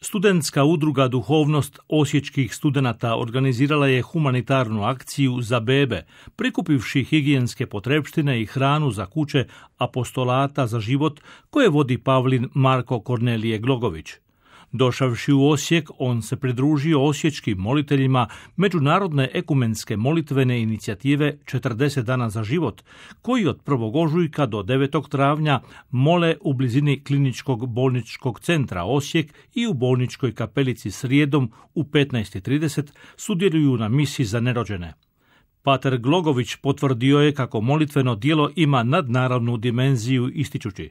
Studentska udruga Duhovnost osječkih studenata organizirala je humanitarnu akciju za bebe, prikupivši higijenske potrepštine i hranu za kuće apostolata za život koje vodi Pavlin Marko Kornelije Glogović. Došavši u Osijek, on se pridružio osječkim moliteljima Međunarodne ekumenske molitvene inicijative 40 dana za život, koji od 1. ožujka do 9. travnja mole u blizini Kliničkog bolničkog centra Osijek i u bolničkoj kapelici srijedom u 15:30 sudjeluju na misi za nerođene. Pater Glogović potvrdio je kako molitveno djelo ima nadnaravnu dimenziju ističući: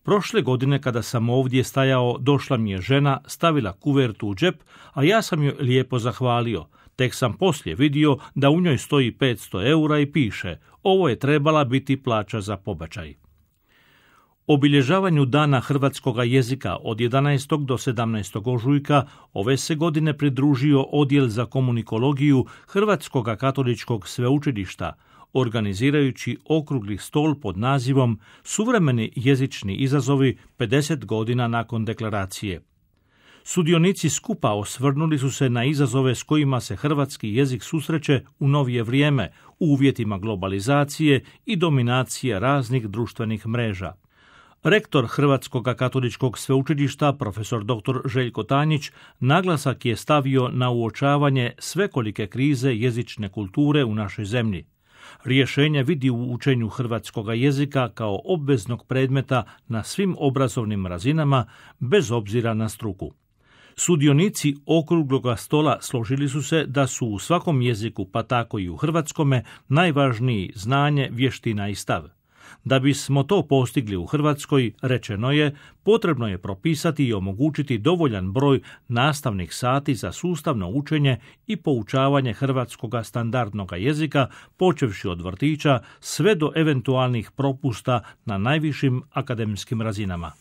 prošle godine kada sam ovdje stajao, došla mi je žena, stavila kuvertu u džep, a ja sam joj lijepo zahvalio. Tek sam poslije vidio da u njoj stoji 500 eura i piše: ovo je trebala biti plaća za pobačaj. Obilježavanju Dana hrvatskoga jezika od 11. do 17. ožujka ove se godine pridružio Odjel za komunikologiju Hrvatskoga katoličkog sveučilišta, organizirajući okrugli stol pod nazivom Suvremeni jezični izazovi 50 godina nakon deklaracije. Sudionici skupa osvrnuli su se na izazove s kojima se hrvatski jezik susreće u novije vrijeme, u uvjetima globalizacije i dominacije raznih društvenih mreža. Rektor Hrvatskog katoličkog sveučilišta, profesor dr. Željko Tanjić, naglasak je stavio na uočavanje svekolike krize jezične kulture u našoj zemlji. Rješenje vidi u učenju hrvatskoga jezika kao obveznog predmeta na svim obrazovnim razinama, bez obzira na struku. Sudionici okrugloga stola složili su se da su u svakom jeziku, pa tako i u hrvatskome, najvažniji znanje, vještina i stav. Da bismo to postigli u Hrvatskoj, rečeno je, potrebno je propisati i omogućiti dovoljan broj nastavnih sati za sustavno učenje i poučavanje hrvatskoga standardnog jezika, počevši od vrtića sve do eventualnih propusta na najvišim akademskim razinama.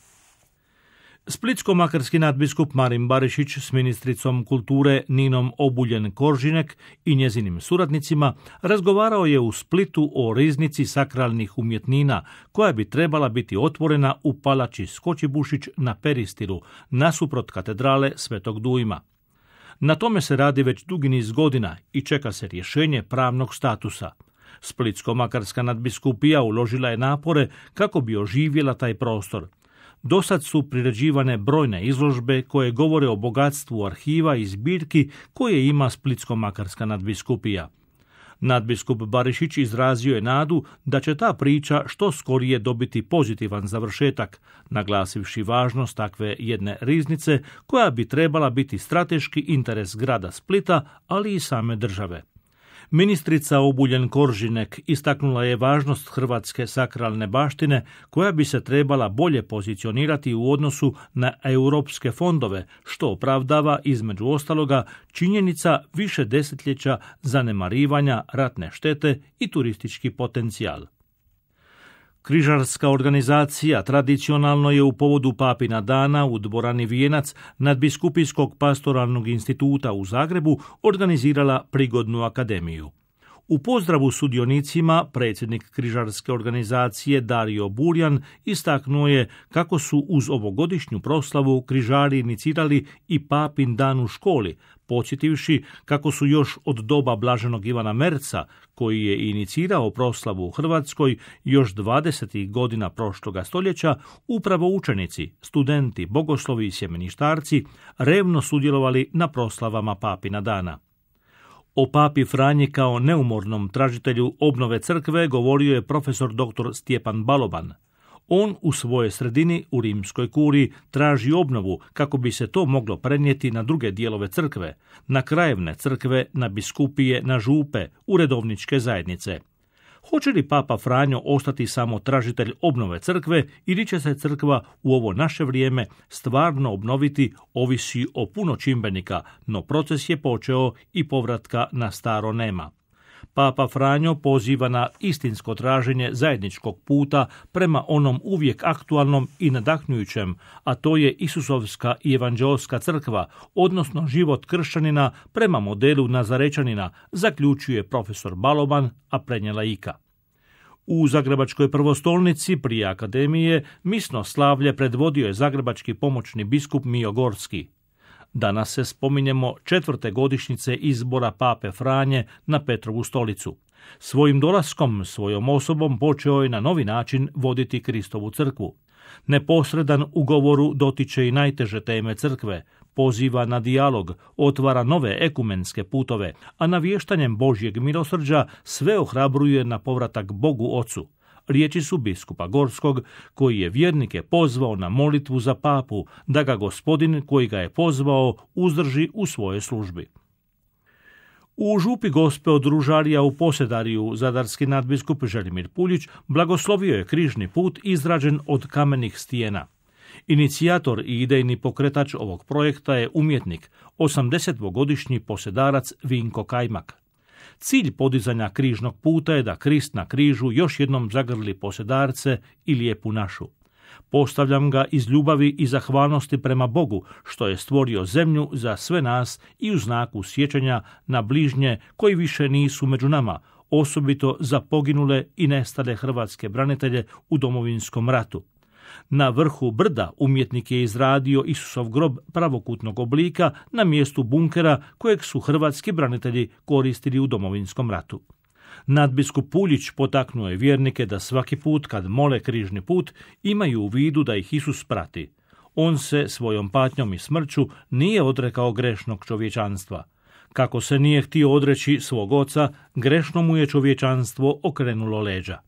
Splitsko-makarski nadbiskup Marin Barišić s ministricom kulture Ninom Obuljen-Koržinek i njezinim suradnicima razgovarao je u Splitu o riznici sakralnih umjetnina koja bi trebala biti otvorena u palači Skočibušić na Peristilu, nasuprot katedrale Svetog Dujma. Na tome se radi već dugi niz godina i čeka se rješenje pravnog statusa. Splitsko-makarska nadbiskupija uložila je napore kako bi oživjela taj prostor. Dosad su priređivane brojne izložbe koje govore o bogatstvu arhiva i zbirki koje ima Splitsko-makarska nadbiskupija. Nadbiskup Barišić izrazio je nadu da će ta priča što skorije dobiti pozitivan završetak, naglasivši važnost takve jedne riznice koja bi trebala biti strateški interes grada Splita, ali i same države. Ministrica Obuljen-Koržinek istaknula je važnost hrvatske sakralne baštine koja bi se trebala bolje pozicionirati u odnosu na europske fondove, što opravdava između ostaloga činjenica više desetljeća zanemarivanja ratne štete i turistički potencijal. Križarska organizacija tradicionalno je u povodu Papina dana u dvorani Vijenac Nadbiskupijskog pastoralnog instituta u Zagrebu organizirala prigodnu akademiju. U pozdravu sudionicima predsjednik Križarske organizacije Dario Burjan istaknuo je kako su uz ovogodišnju proslavu križari inicirali i Papin dan u školi, podsjetivši kako su još od doba blaženog Ivana Merca, koji je inicirao proslavu u Hrvatskoj još 20. godina prošloga stoljeća, upravo učenici, studenti, bogoslovi i sjemeništarci revno sudjelovali na proslavama Papina dana. O Papi Franji kao neumornom tražitelju obnove crkve govorio je profesor dr. Stjepan Baloban. On u svojoj sredini u rimskoj kuriji traži obnovu kako bi se to moglo prenijeti na druge dijelove crkve, na krajevne crkve, na biskupije, na župe, u redovničke zajednice. Hoće li Papa Franjo ostati samo tražitelj obnove crkve ili će se crkva u ovo naše vrijeme stvarno obnoviti, ovisi o puno čimbenika, no proces je počeo i povratka na staro nema. Papa Franjo poziva na istinsko traženje zajedničkog puta prema onom uvijek aktualnom i nadahnjujućem, a to je Isusovska i evanđeoska crkva, odnosno život kršćanina prema modelu Nazarečanina, zaključuje profesor Baloban, a prenijela Ika. U Zagrebačkoj prvostolnici prije akademije misno slavlje predvodio je zagrebački pomoćni biskup Mijo Gorski. Danas se spominjemo 4. godišnjice izbora pape Franje na Petrovu stolicu. Svojim dolaskom, svojom osobom počeo je na novi način voditi Kristovu crkvu. Neposredan u govoru dotiče i najteže teme crkve, poziva na dijalog, otvara nove ekumenske putove, a navještanjem Božjeg milosrđa sve ohrabruje na povratak Bogu Ocu. Riječi su biskupa Gorskog, koji je vjernike pozvao na molitvu za papu, da ga Gospodin koji ga je pozvao uzdrži u svojoj službi. U župi Gospe od Ružarija u Posedariju zadarski nadbiskup Želimir Puljić blagoslovio je križni put izrađen od kamenih stijena. Inicijator i idejni pokretač ovog projekta je umjetnik, 80-godišnji posedarac Vinko Kajmak. Cilj podizanja križnog puta je da Krist na križu još jednom zagrli posedarce i lijepu našu. Postavljam ga iz ljubavi i zahvalnosti prema Bogu, što je stvorio zemlju za sve nas i u znaku sjećanja na bližnje koji više nisu među nama, osobito za poginule i nestale hrvatske branitelje u Domovinskom ratu. Na vrhu brda umjetnik je izradio Isusov grob pravokutnog oblika na mjestu bunkera kojeg su hrvatski branitelji koristili u Domovinskom ratu. Nadbiskup Puljić potaknuo je vjernike da svaki put kad mole križni put imaju u vidu da ih Isus prati. On se svojom patnjom i smrću nije odrekao grešnog čovječanstva. Kako se nije htio odreći svog oca, grešno mu je čovječanstvo okrenulo leđa.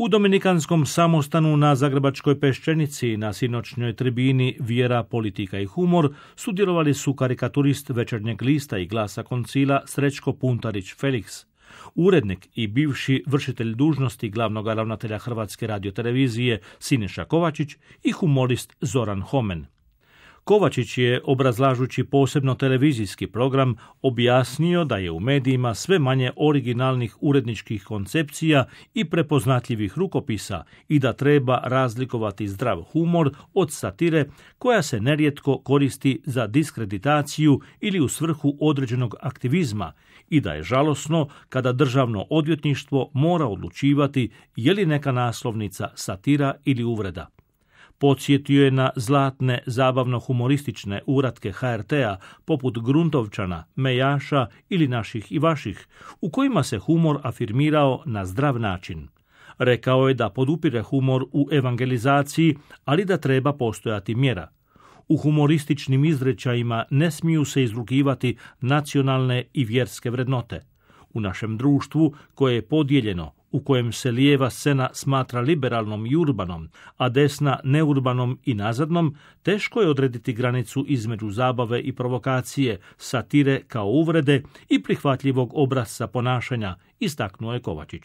U Dominikanskom samostanu na Zagrebačkoj Peščenici na sinoćnjoj tribini Vjera, politika i humor sudjelovali su karikaturist Večernjeg lista i Glasa koncila Srećko Puntarić Felix, urednik i bivši vršitelj dužnosti glavnog ravnatelja Hrvatske radiotelevizije Siniša Kovačić i humorist Zoran Homen. Kovačić je, obrazlažući posebno televizijski program, objasnio da je u medijima sve manje originalnih uredničkih koncepcija i prepoznatljivih rukopisa i da treba razlikovati zdrav humor od satire koja se nerijetko koristi za diskreditaciju ili u svrhu određenog aktivizma i da je žalosno kada državno odvjetništvo mora odlučivati je li neka naslovnica satira ili uvreda. Podsjetio je na zlatne zabavno-humoristične uratke HRT-a poput Gruntovčana, Mejaša ili Naših i vaših, u kojima se humor afirmirao na zdrav način. Rekao je da podupire humor u evangelizaciji, ali da treba postojati mjera. U humorističnim izrečajima ne smiju se izrugivati nacionalne i vjerske vrednote. U našem društvu, koje je podijeljeno, u kojem se lijeva scena smatra liberalnom i urbanom, a desna neurbanom i nazadnom, teško je odrediti granicu između zabave i provokacije, satire kao uvrede i prihvatljivog obrasca ponašanja, istaknuo je Kovačić.